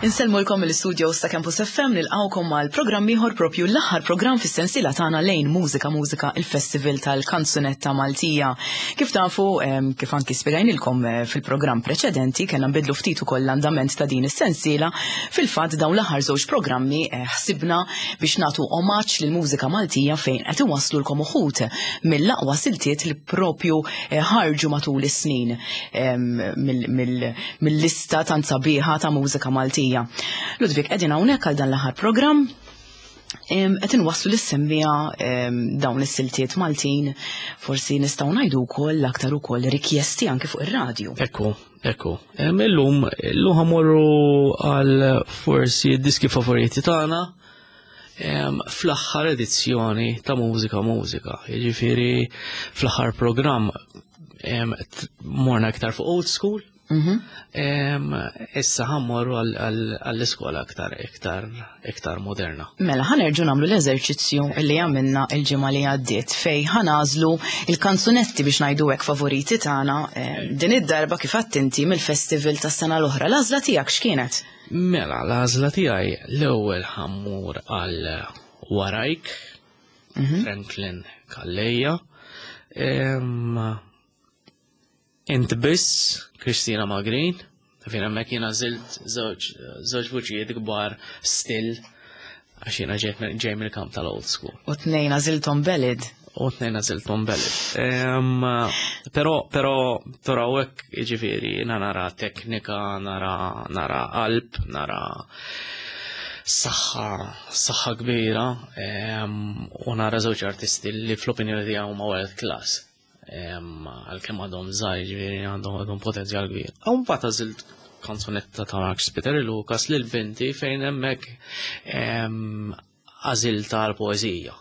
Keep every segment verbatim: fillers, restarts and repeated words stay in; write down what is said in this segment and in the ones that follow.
Insellmulkom mill-istudio ta' Campus F M, nilqgħukom għal programm ieħor, propju l-aħħar programm fis-sensiela tagħna Lejn Mużika Mużika, il-Festival tal-Kanzunetta Maltija. Kif tafu, em, kif anki spjegajnilkom eh, fil-programm preċedenti, kellna nbidlu ftit ukoll l-andament ta' din is-sensiela. Fil-fatt, dawn l-aħħar żewġ programmi eh, ħsibna biex nagħtu omaġġ lill-mużika Maltija, fejn qed iwasslulkom uħud mill-aqwa siltiet li propju eh, ħarġu matul is-snin em, mill- mill- mill-lista tant sabiħa ta' mużika Maltija. Ludwig, qegħdin hawnhekk għal dan l-aħħar programm Em, qed inwasslu lis-semmiegħa em, dawn is-siltiet Maltin, forsi nistgħu ngħidu wkoll l-aktar ukoll rikjesti anke fuq ir-radju. Ekku, ekku. Em, Illum, illum ħa mmorru għal forsi diski favoriti tagħna em, fl-aħħar edizzjoni ta' Mużika Mużika. Jiġifieri fl-aħħar programm em, t- morna aktar fuq old school. Mhm. Em, Issa ħa mmorru għall- għall- għall-iskola aktar iktar iktar moderna. Mela, ħa nerġgħu nagħmlu l-eżerċizzju li għamilna il-ġimgħa li għaddiet, fejn ħa nagħżlu il-kanzunetti, biex ngħidu hekk, favoriti tagħna eh, din id-darba, kif inti, mill-festival tas-sena l-oħra. L-għażla tiegħek x'kienet? Mela, l-għażla tiegħi, l-ewwel ħa mmur għal Warajk, Franklin Calleja. Em, Int Biss, Kristina Magrin, fejn hemmhekk jiena għażilt żewġ żewġ vuċijiet kbar still, għax jiena ġejt mill- ġej mill-kamp tal-old school. U tnejn għażilthom ballad. U tnejn għażilthom ballad. Em, Però, però, però hekk, jiġifieri, jiena nara teknika, nara, nara qalb, nara saħħa, saħħa kbira, em, u nara żewġ artisti li fl-opinjoni tiegħi huma world class. Em, Għalkemm għadhom żgħar, ġifieri għandhom għandhom potenzjal kbir. U mbagħad għażilt kanzunetta ta' Mark Spiteri Lucas lil binti, fejn hemmhekk em, għażilta l-poeżija.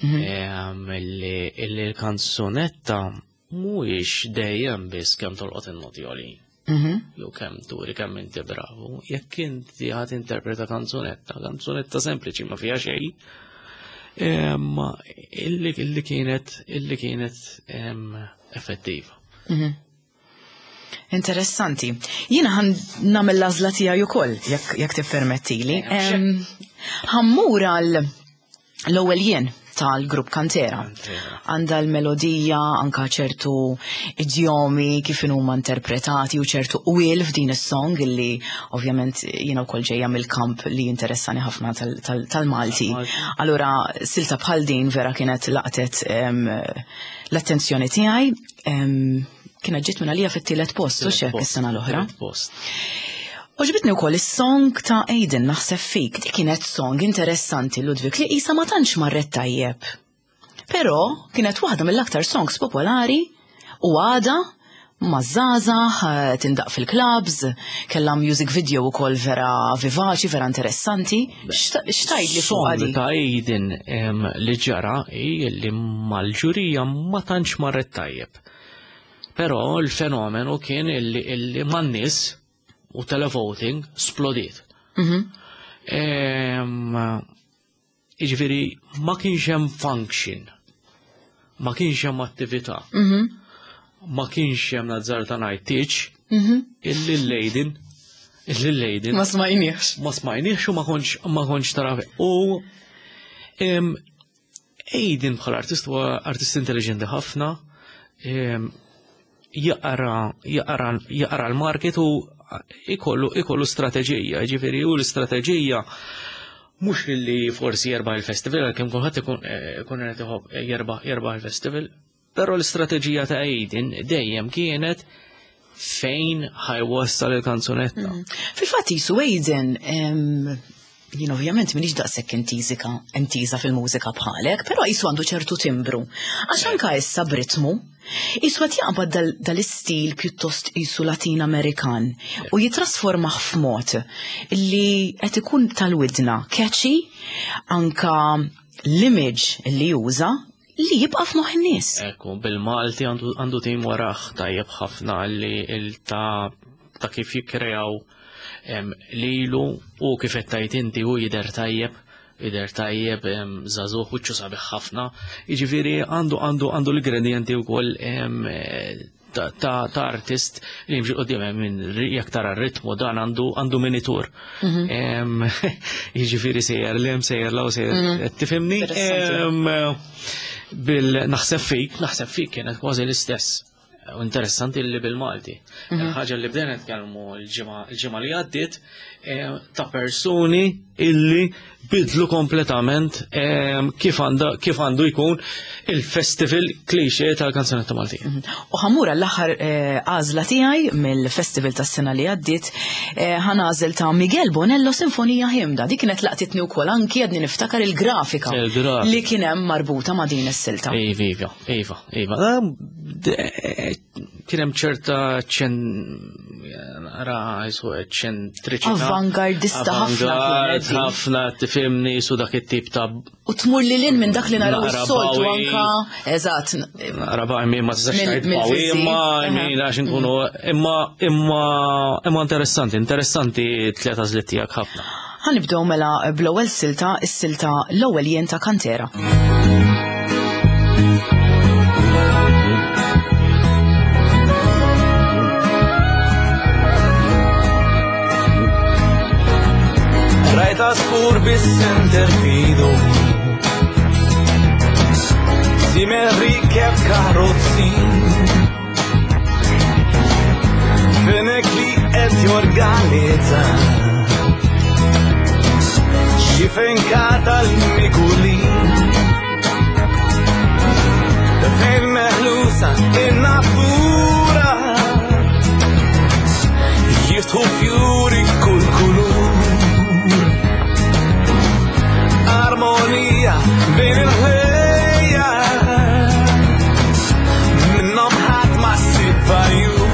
Em, Illi illi l-kanzunetta mhuwiex dejjem biss kemm tolqot in-noti għolin Mhm. jew kemm turi kemm inti bravu. Jekk inti ħa tinterpreta kanzunetta, kanzunetta sempliċi ma fiha xejn, em, illi illi kienet illi kienet em, effettiva. Mhm. Interessanti. Jiena ħa nagħmel l-għażla tiegħi ukoll, jekk jekk tippermettili. Em, Ħa mmur għal L-Ewwel Jien tal-grupp Kantera. Għandha l-melodija, anka ċertu idjomi kif huma interpretati u ċertu qwiel f'din is-song illi ovvjament jiena wkoll ġejja mill-kamp li interessani ħafna tal- tal- tal-Malti. Allura silta bħal din vera kienet laqtet em, l-attenzjoni tiegħi. Em, Kienet ġiet minn għalija fit-tielet post, u xek, is-sena l-oħra. Tielet post. Għoġbitni wkoll is-song ta' Aiden, Naħseb Fik. Dik kienet song interessanti, Ludwig, li isa ma tantx marret tajjeb. Però kienet waħda mill-aktar songs popolari u għada maż-żgħażagħ, eh, tindaqq fil-clubs, kellha music video ukoll vera vivaċi, vera interessanti. X'tgħid li fuq Song għadi? ta' Aiden, em, li ġara hi li mal-ġurija ma tantx marret tajjeb. Però l-fenomenu kien illi, illi man-nies u televoting splodiet. Mhm. Em, Jiġifieri ma kienx hemm function, ma kienx hemm attività, Mhm. ma kienx hemm, nazzarda ngħid, tieġ Mhm. illi l-Aiden, illi l-Aiden Ma smajniex. Ma smajniex u ma kontx ma kontx tara. U em, Aiden bħala artist huwa artist intelligenti ħafna, em, jaqra jaqra jaqra l-market u ikollu ikollu strateġija, ġifieri u l-istrateġija mhux li forsi jerbaħ il-festival, għalkemm kulħadd ikun eh, ikun qed iħobb jerbaħ jerbaħ il-festival, però l-istrateġija ta' Aiden dejjem kienet fejn ħa jwassal il-kanzunetta. Fil-fatt jisu Aiden, em, jien ovvjament minix daqshekk intiżika, intiża fil-mużika bħalek, però jisu għandu ċertu timbru. Għax anka issa b'ritmu, jisu qed jaqbad dal- dal-istil pjuttost jisu Latin Amerikan u jitrasformah f'mod li qed ikun tal-widna, catchy, anka l-image li juża li jibqa' f'moħħ in-nies. Ekku, bil-Malti għandu, għandu tim warah tajjeb ħafna li il ta' ta' kif jikkreaw em, lilu u kif qed tgħid inti u jidher tajjeb, jidher tajjeb, em, żagħżugħ, wiċċu sabiħ ħafna. Jiġifieri għandu għandu għandu l-ingredienti wkoll em, eh, ta' ta' artist li jimxi quddiem minn jekk tara r-ritmu dan għandu għandu minitur. Em, Jiġifieri sejjer 'l hemm sejjer 'l hawn sejjer qed tifhimni? Interessanti. Em, Bil naħseb fik, naħseb fik kienet kważi l-istess. U interessanti li bil-Malti. Ħaġa li bdejna nitkellmu l-ġimgħa l-ġimgħa li għaddiet eh, ta' persuni illi bidlu kompletament eh, kif għanda kif għandu jkun il-festival cliché tal-kanzunetta Maltija. U ħa mmur l-aħħar għażla tiegħi mill-festival tas-sena li għaddiet, eh, ħa nagħżel ta' Miguel Bonello Sinfonija Ħimda. Dik kienet laqtitni wkoll anki għadni niftakar il-grafika Il-grafika. li kien hemm marbuta ma' din is-silta. Iva, iva, iva, iva. Ah, de- Kien hemm ċerta ċen ra jisu eċċentriċità. Avangardista ħafna Avangard kienet din. ħafna tifhimni su dak it-tip ta' U tmur li lin minn dak li naraw Naqra is-soltu bawi. anka, eżatt, Naqra ba' ma tistax Mill- tgħid bawi, mill-fiżi. imma Aha. min għax inkunu imma imma imma interessanti, interessanti tliet għażliet tiegħek ħafna. Ħa nibdew mela bl-ewwel silta, is-silta l-ewwel jien ta' Kantera. Rajta skur bis-center fidu Simel rikeb karozzi Fenek li qed jorganizza Xi fenkata l-mikuli Fejn meħlusa in-natura Jiftħu fjuri kull kulur Armonija bejn il-ħlejja Minnhom ħadd ma ssib vajur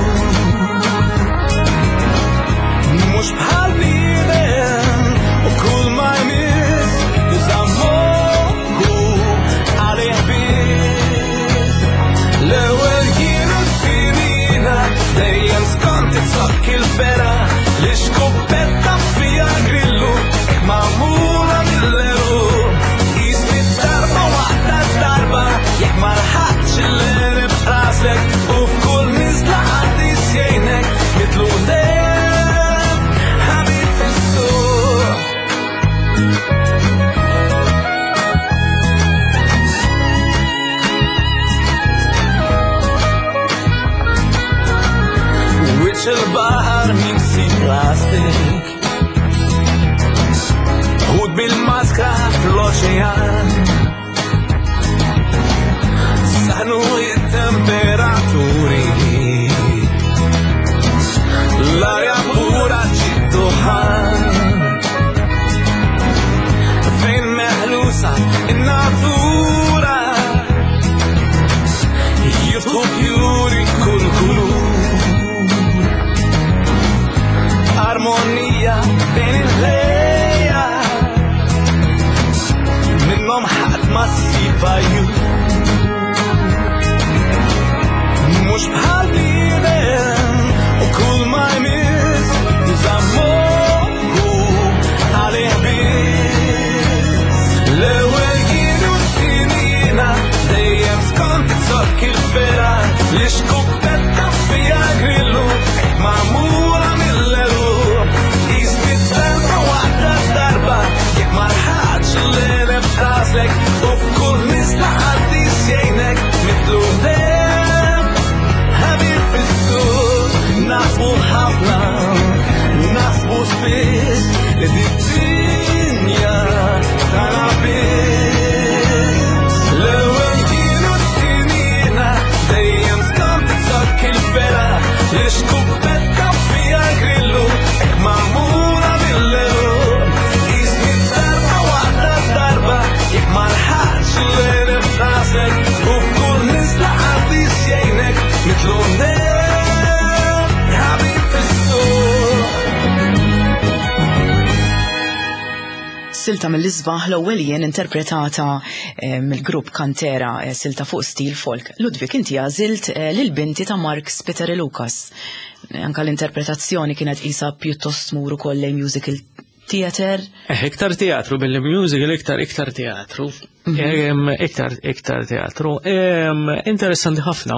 Mhux bħal bniedem u kull ma jmiss juża moħħu għalih biss L-ewwel kienu t-tinina dejjem skont it-sokk il-fera li xkuppetta fija grillu magħmula mill-eru Jisni darba waħda darba jekk ma lħaqtx il-għereb raslek u f'kull nizla għaddis jgħinek mitlu dejjem ħabib fis-suq. Wiċċ il-baħar mimsi plastik Ħut bil-maskra fl-oċean Saħnu it-temperaturi L-arja pura ġidduħan Fejn meħlusa in-natura Jiftħu fjuri kull kulur Armonija bejn il-ħlejja Minnhom ħadd ma ssib vajjur Mhux bħal bniedem u kull ma jmiss juża moħħu għalih biss L-ewwel kienu t-tinina dejjem skont it-sokk il-fera li xkuppetta fija grillu magħmula mill-eru Jisni darba waħda darba jekk ma lħaqtx l-għereb raslek u f'kull nizla għaddis jgħinek mitlu dejjem ħabib fis-suq naħsbu ħafna naħsbu spiss li d-dinja tagħna biss L-ewwel kienu t-tinina dejjem skont it-sokk il-fera li xkuppetta fija grillu hekk magħmula mill-eru Jisni darba waħda darba jekk ma lħaqtx l-għereb rasek u f'kull nizla għaddis jgħinek mitlu dejjem ħabib fis-suq. Silta mill-isbaħ l-ewwel jien interpretata eh, mill-grupp Kantera, eh, silta fuq stil folk. Ludwig, inti għażilt eh, lil binti ta' Mark Spiteri Lucas. Eh, Anka l-interpretazzjoni kienet isa pjuttost tmur ukoll lejn musical Theater? Eh, iktar teatru, billi musical iktar iktar teatru. Mhm. Iktar iktar teatru. Interessanti ħafna,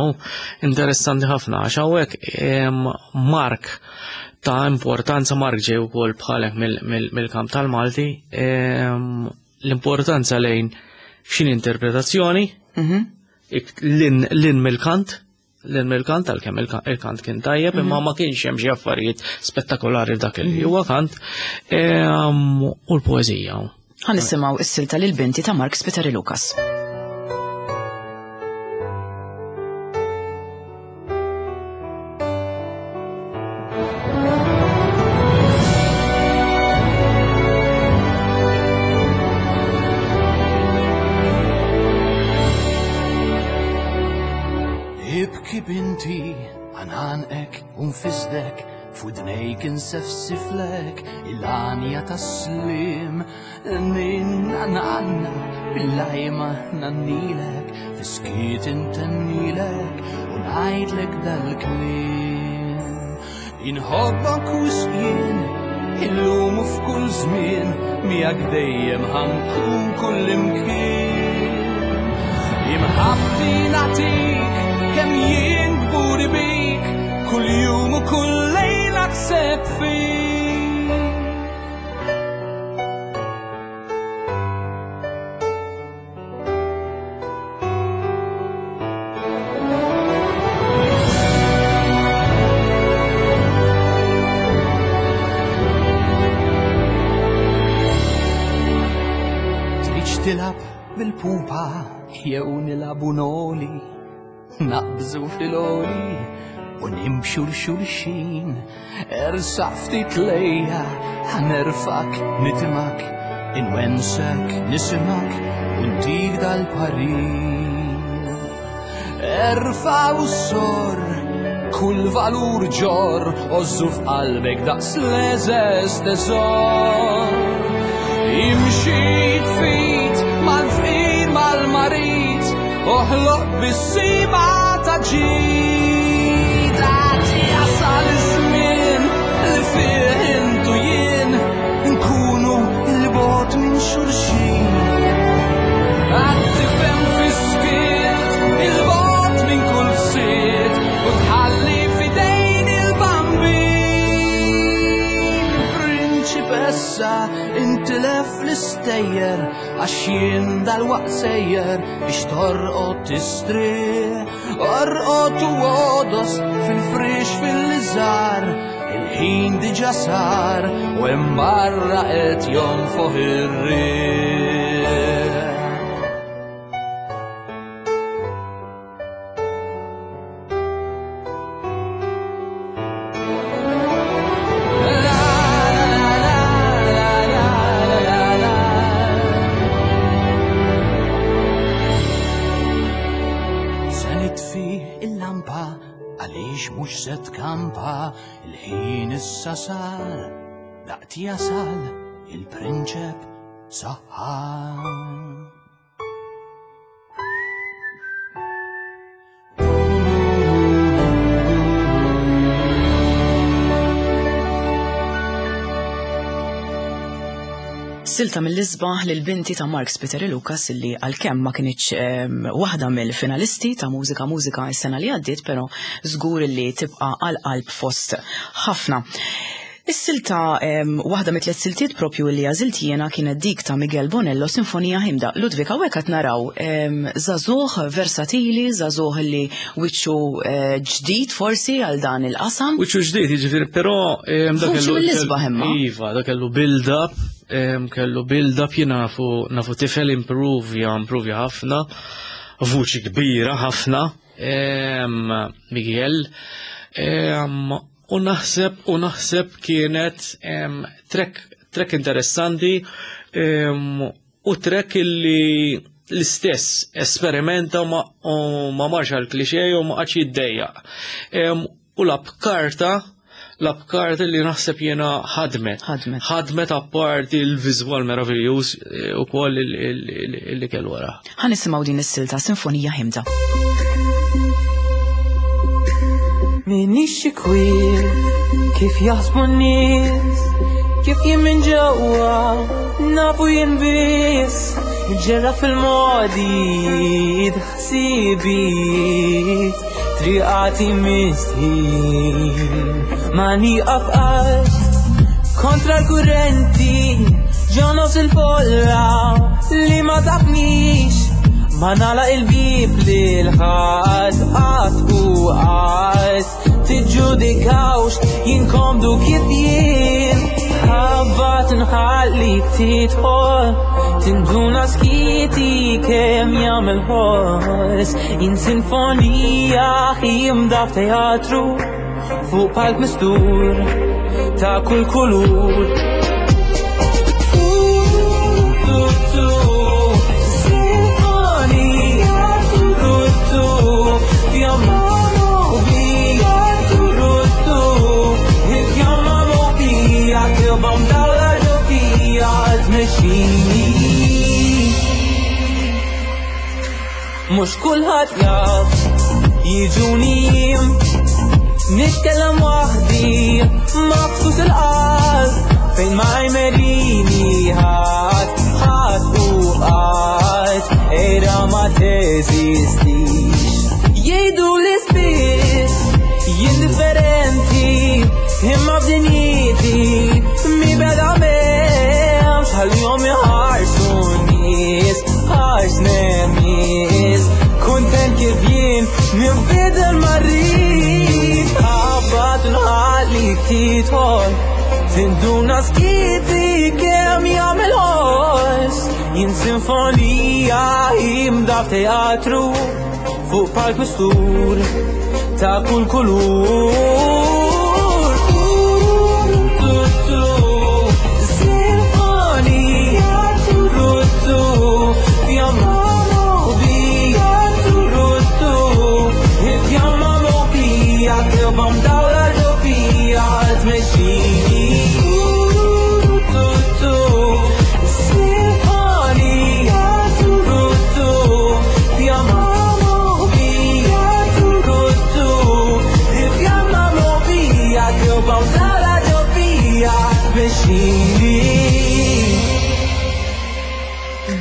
interessanti ħafna, għax hawnhekk Mark ta' importanza, Mark ġej ukoll bħalek mill-kamp tal-Malti, l-importanza lejn x'in interpretazzjoni, mhm. lin mill-kant, l-kant għalkemm il-kant kien tajjeb, imma ma kienx hemm xi affarijiet spettakolari f'dak li huwa kant, u l-poeżija. Ħa nisimgħu s-silta lil binti ta' Mark Spiteri Lucas. Binti, għanħanqek unfizdek, f'widnejk insefsiflek, il-għanja tas-slim, ninna nanna, bil-lajma nannilek, fiskiet intennilek, u ngħidlek dal-kliem. Inħobbok u sqien, illum u f'kull żmien, miegħek dejjem ħankun kull imkien. Imħabti nagħtik, kemm jien kburi bik, kull jum u kull lejla kseb fik. Tridx tilab bil-pupa jew nilabu noli, naqbżu fil-oli u nimxu l-xulxin, ersa ftit lejja, ħanerfak, nitimak, inwensek, nisimak, u ntik dal-parir. Erfa u sor, kull valur ġor, ożżu f'qalbek daqs l-eżeż teżor. Imxi tfit mal-fqir mal-marit, oħloq bis-sima ta' ġid, għad jasal iż-żmien li fih intu jien nkunu l-bogħod minn xulxin. Għad tifhem fis-skiet il-bogħod minn kull fsied u tħalli f'idejn il-bambin. Prinċipessa intilef l-istejjer għax jien dal-waqt sejjer biex torqod tistrieħ, orqod u għodos fil-frix fil-liżar, il-ħin diġà sar u hemm barra qed jonfoħ ir-riħ. Kampa, il-ħin issa sar, daqt jasal il-prinċep saħħar. Silta mill-isbaħ lil binti ta' Mark Spiteri Lucas illi għalkemm ma kinitx waħda mill-finalisti ta' Mużika Mużika s-sena li għaddiet, però żgur li tibqa' għal-qalb fost ħafna. Is-silta waħda mit-tliet siltiet propju li għażilt jiena kienet dik ta' Miguel Bonello, Sinfonija Ħimda. Ludwig, hawnhekk qed naraw żagħżugħ versatili, żagħżugħ li wiċċu ġdid forsi għal dan il-qasam. Wiċċu ġdid, jiġifieri, però dak kellu mill-isbaħ imma. Iva, dak kellu build-up, kellu build-up, jien nafu nafu tifel improvja, improvja ħafna, vuċi kbira ħafna, Miguel. U naħseb, u naħseb kienet trek, trek interessanti, u trek illi l-istess esperimenta ma, ma marx għal klixe u ma qatx jiddejjaq. U lab karta, lab karta li naħseb jiena ħadmet. Ħadmet. Ħadmet apparti l-viżwal meraviljuż ukoll illi kellu wara. Ħa nisimgħu din is-silta Sinfonija Ħimda. Minix kwiet kif jaħsbu n-nies, Kif jien minn ġewwa nafu jien biss, ġerra fil-modi ħsibijiet, triqati mistħin. Ma nieqaf qatt kontra l-kurrenti, ġo nofs il-folla li ma tafnix. Ma nagħlaq il-bib lil ħadd qatt u qatt. Tiġġudikawx jien komdu kif jien. Ħabbat nħallik tidħol, tinduna skiti kemm jagħmel ħoss. Jien sinfonija ħimda f'teatru, fuq palk mistur ta' kull kulur. Tu, sinfonija, tu, fjamma moħbija, tu, il-fjamma moħbija, kilba mdawla ġo fija tmexxini. Mhux kulħadd jaf jiġuni jiem, nitkellem waħdi maqsus il-qalb, fejn ma jmerini ħadd, ħadd u qatt, ejra ma teżistix. Jgħidu li spiss jien differenti, imma f'dinjiti mi beda m'hemmx, ħallihom iħarsu n-nies, ħars nemis. Kuntent kif jien nibdel ma rrid, ħabbat nħallik tidħol, tinduna skiti kemm jagħmel ħoss. Jien sinfonija imda f'teatru, fuq palk mistur ta' kull kulur. Tu, tu, sinfonija, tu, tu, fjamma moħbija, tu, tu, il-fjamma moħbija, kilba mdawla ġo fija tmexxini. Tu, tu, sinfonija, tu, tu, fjamma moħbija, tu, tu, il-fjamma moħbija, kilba mdawla ġo fija tmexxini.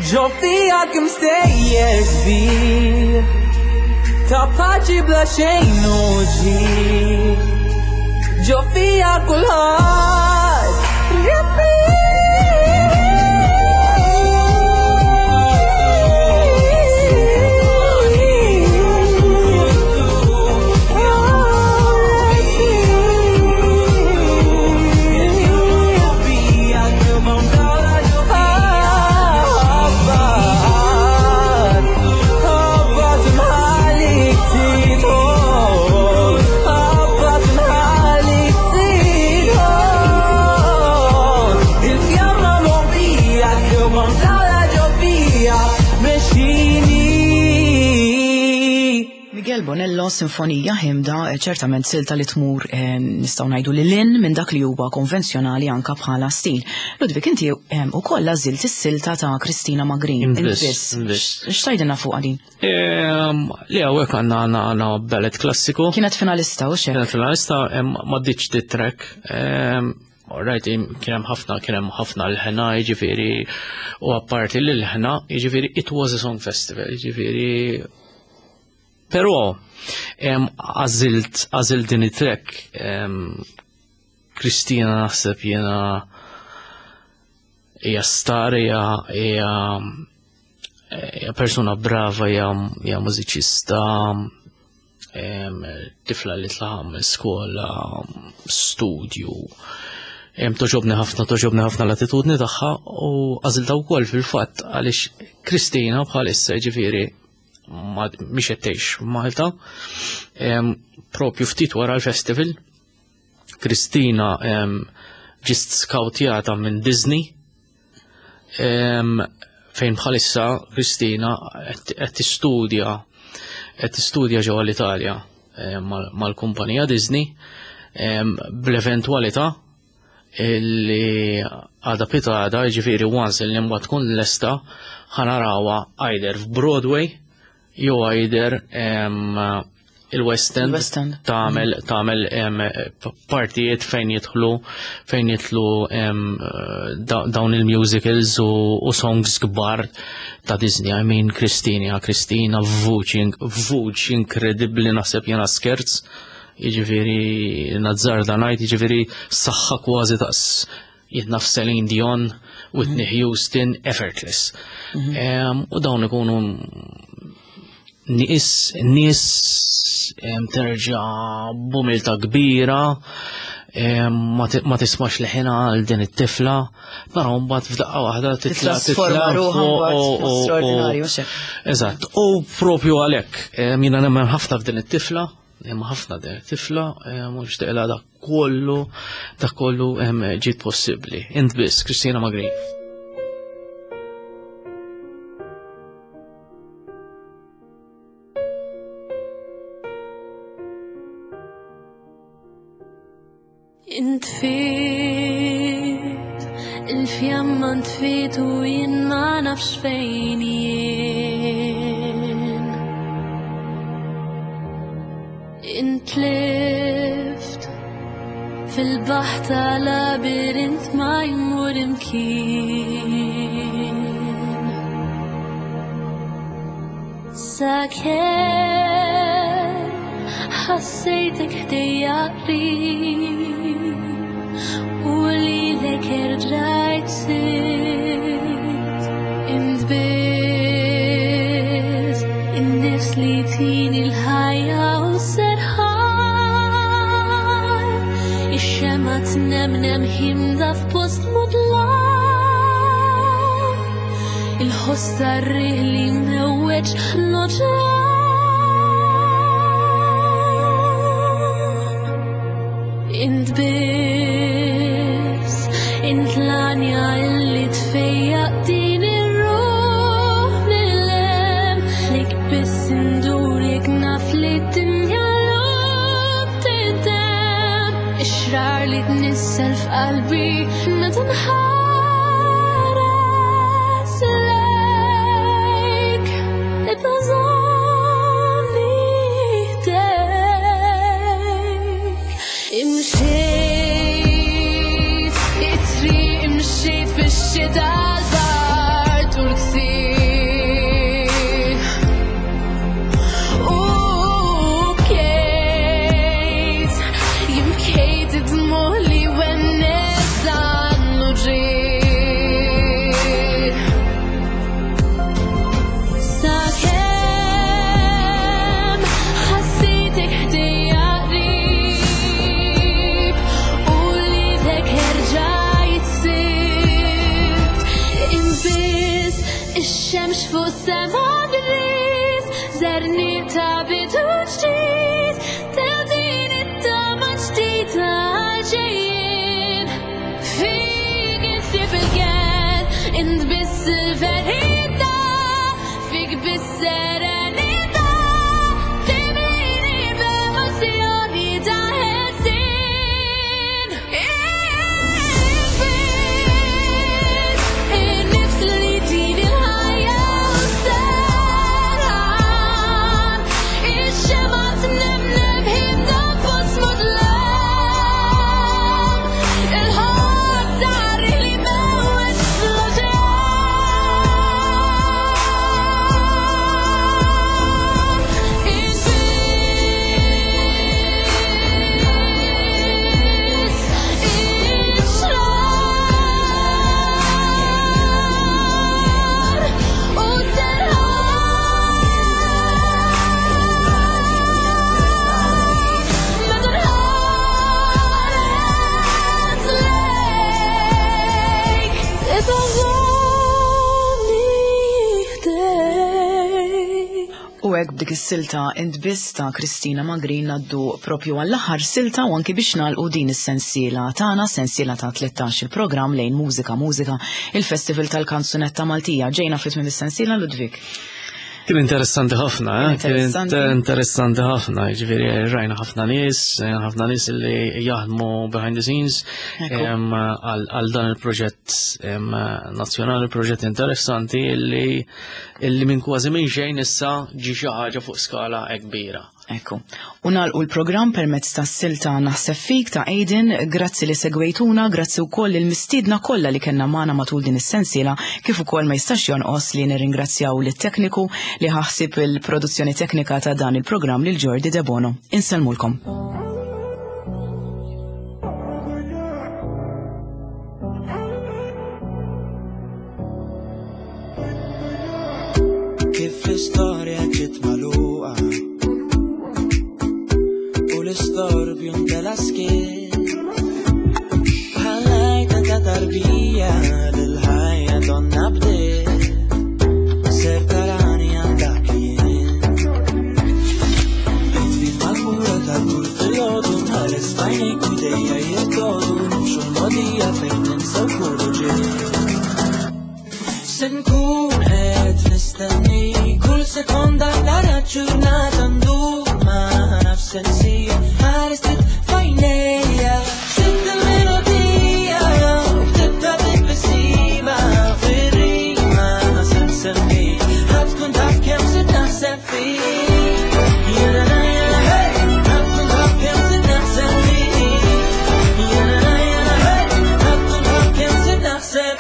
Ġo fija kemm stejjer sbieħ, ta' paċi bla xejn u ġieħ. Ġo fija kulħadd Miguel Bonello, Sinfonija Ħimda, ċertament silta li tmur eh, nistgħu ngħidu lil hinn minn dak li huwa konvenzjonali anka bħala stil. Ludwig, inti eh, ukoll għażilt is-silta ta' Kristina Magrin. Inviss, Inviss. Inviss. X'tgħidilna fuq din? Ehm, Li hawnhekk għandna għandna għandna ballet klassiku. Kienet finalista u xek. Kienet finalista, em, ma ddiċ dit track. Em, Alright, kien hemm ħafna, kien hemm ħafna l-ħena, jiġifieri, u apparti l-ħena, jiġifieri, it was a song festival, jiġifieri. Però, em, għażilt, għażilt din it-track, em, Kristina naħseb jiena hija star, hija hija hija persuna brava, hija hija mużiċista, em, tifla li tlaħam skola, studju. Em, Togħġobni ħafna, togħġobni ħafna l-attitudni tagħha u għażiltha wkoll fil-fatt għaliex Kristina bħalissa jiġifieri ma mhix qed tgħix Malta. Em, propju ftit wara l-festival, Kristina em, ġiet skautjata minn Disney, em, fejn bħalissa Kristina qed qed tistudja qed tistudja ġewwa l-Italja em, mal- mal-kumpanija Disney, em, bl-eventwalità illi għada pitgħada, jiġifieri once li mbagħad tkun lesta, ħa narawha either f'Broadway jew either em, il-West End, Il-West End. tagħmel tagħmel em, partijiet fejn jidħlu fejn jidħlu em, da- dawn il-musicals u, u songs kbar ta' Disney. I mean, Kristina, Kristina, vuċi, vuċi inkredibbli, naħseb jena skerz, jiġifieri nazzarda ngħid, jiġifieri saħħa kważi daqs jitnaf Celine Dion, Whitney Houston, effortless. Em, U dawn ikunu nies nies em, terġa' b'umiltà kbira, em, ma ti- ma tismax leħina għal din it-tifla, però mbagħad f'daqqa waħda titla' Titrasforma titla' ruħha fuq mbagħad u- u- straordinarju, u- xek. Eżatt, u propju għalhekk, em, jiena nemmen ħafna f'din it-tifla, hemm ħafna din it-tifla, em, u nixtieqilha dak kollu, dak kollu em, ġiet possibbli. Int biss, Kristina Magri. Intfit, il-fjamma ntfit u jien ma nafx fejn jien. Intlift fil-baħ ta' labirint ma jmur imkien. Sakemm ħassejtek ħdejja qrib u lilek erġajt sirt. Int biss in-nifs li tini l-ħajja u serħan, ix-xemgħa tnemnem ħimda f'post mudlam, il-ħoss tar-riħ li mewweġ l-oċean. Int biss, int l-għanja illi tfejjaq din ir-ruħ mill-hemm, lik biss indur jekk naf li d-dinja llum tintemm, ix-xrar li tnissel f'qalbi meta nħares lejk, ibqa' żommni ħdejk. Imxejt, it-triq imxejt fix-xita l-bard u l-ksieħ. U bkejt, jien bkejt id-dmugħ li wennes dan l-uġigħ. Sakemm ħassejtek ħdejja qrib u lilek erġajt sirt. Inbiss ix-xemx fuq sema gris, żerniq ta' bidu ġdid, ta' din it-tama ġdida ġejjin. Fik insib il-kenn, int biss il-verità, fik biss serenità, timlini b'emozzjoni ta' ħelsien. Int biss in-nifs li tini l-ħajja u s-serħan, ix-xemgħa tnemnem ħimda fost mudlam, il-ħoss tar-riħ li mewweġ l-oċean. Int biss ix-xrar u s-serħan meta nħares lejk, ibqa' żommni ħdejk. U hekk b'dik is-silta Int biss ta' Kristina Magri ngħaddu propju għall-aħħar silta u anki biex nagħlqu din is-sensiela tagħna, sensiela ta' tlettax il-programm lejn Mużika Mużika, il-Festival tal-Kanzunetta Maltija. Ġejna fit minn is-sensiela, Ludwig. Kien interessanti ħafna, eh? Kien Interessanti. inter- interessanti ħafna, ġifieri rajna ħafna nies, rajna ħafna nies li jaħdmu behind the scenes, Ekku. em, għal għal dan il-proġett em, nazzjonali, proġett interessanti illi illi minn kważi minn xejn issa ġi xi ħaġa fuq skala kbira. Ekku. U nagħlqu l-programm permezz ta' silta Naħseb Fik ta' Aiden, grazzi li segwejtuna, grazzi wkoll il-mistiedna kollha li kellna magħna matul din is-sensiela, kif ukoll ma jistax jonqos li nirringrazzjaw lit-tekniku li ħaħsib il-produzzjoni teknika ta' dan il-programm lil Jordi De Bono. Insellmulkom. Kif l-istorja ġiet magħluqa u l-istorbju ntela skiet, bħal-għajta ta' tarbija lil-ħajja donna bdiet, ser tarani għal dak li jien. Itfit mal-mura tal-kull filgħodu, nħares f'għajnejk u jdejja jirtodu, nimxu l-mogħdija fejn ninsew kull uġigħ. Se nkun qed nistenni kull sekonda nara ġurnata ndur ma nafx se nsir, ħares ftit f'għajnejja, sibt il-melodija u ktibtha bit-tbissima fir-rima se nsemmik, ħa tkun taf kemm se naħseb fik. Jena na jena hey, ħa tkun taf kemm se naħseb fik. Jena na jena hey, ħa tkun taf kemm se naħseb.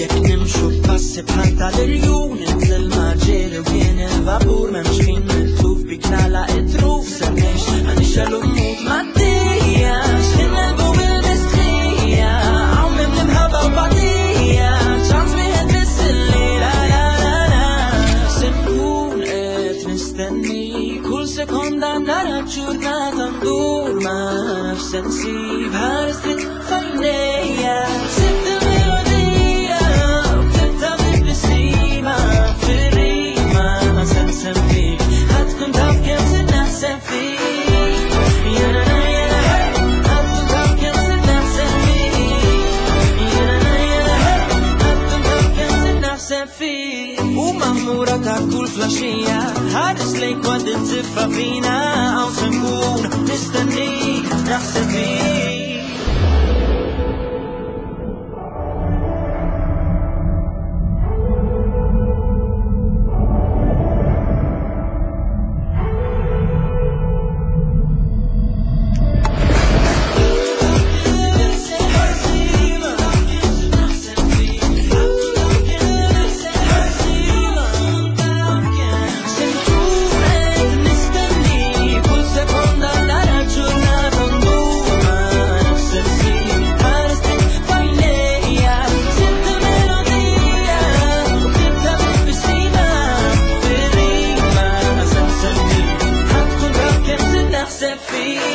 Jekk nimxu passi bħal tal-irjun, inżel maġġieri u kien il-vapur, m'hemmx ħin mitluf bik nagħlaq it-truf, se ngħix għanixxel u mmut mad-dija, x'ħin nelbu bil-mistħija, hawn minn l-imħabba u batija, ċans wieħed biss illejla, la, la, la. Se nkun qed nistenni kull sekonda nara ġurnata ndur ma nafx se nsib, ħares trid f'għajnejja, sibt il-melodija u ktibtha bit-tbissima fir-rima se nsemmik, ħa tkun taf kemm se naħseb fik. Jena na jena hey, ħa tkun taf kemm se naħseb fik. Jena na jena hey, ħa tkun taf kemm se naħseb fik. U mammura ta' kull flaxija, ħares lejk waqt it-tiffa fina, hawn se nkun nistennik naħseb fik. Naħseb fik.